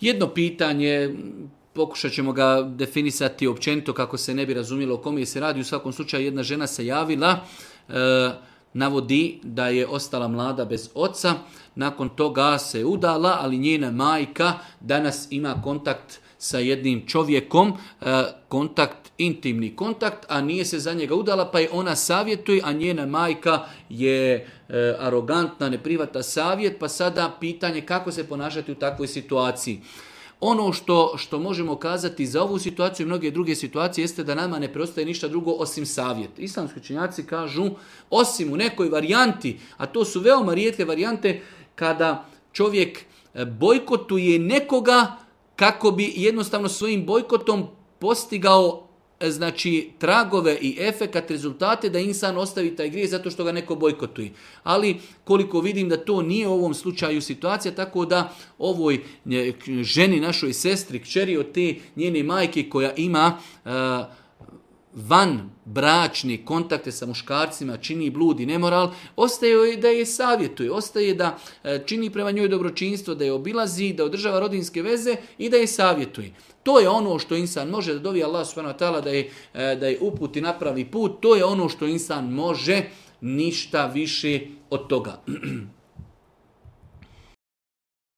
Jedno pitanje, pokušat ćemo ga definisati općenito kako se ne bi razumjelo o kome se radi. U svakom slučaju jedna žena se javila, navodi da je ostala mlada bez oca, nakon toga se udala, ali njena majka danas ima kontakt sa jednim čovjekom, intimni kontakt, a nije se za njega udala, pa je ona savjetuje, a njena majka je arogantna, ne prihvata savjet, pa sada pitanje kako se ponašati u takvoj situaciji. Ono što možemo kazati za ovu situaciju i mnoge druge situacije jeste da nama ne preostaje ništa drugo osim savjet. Islamski učenjaci kažu, osim u nekoj varijanti, a to su veoma rijetke varijante, kada čovjek bojkotuje nekoga kako bi jednostavno svojim bojkotom postigao tragove i efekat, rezultate da insan ostavi taj grijeh zato što ga neko bojkotuje. Ali koliko vidim da to nije u ovom slučaju situacija, tako da ovoj ženi, našoj sestri, kćeri od te njene majke koja ima van bračni kontakte sa muškarcima, čini blud i nemoral, ostaje joj da je savjetuje, ostaje da čini prema njoj dobročinstvo, da je obilazi, da održava rodinske veze i da je savjetuje. To je ono što insan može, da dovi Allah subhanahu wa ta'ala da je uputi napravi put, to je ono što insan može, ništa više od toga.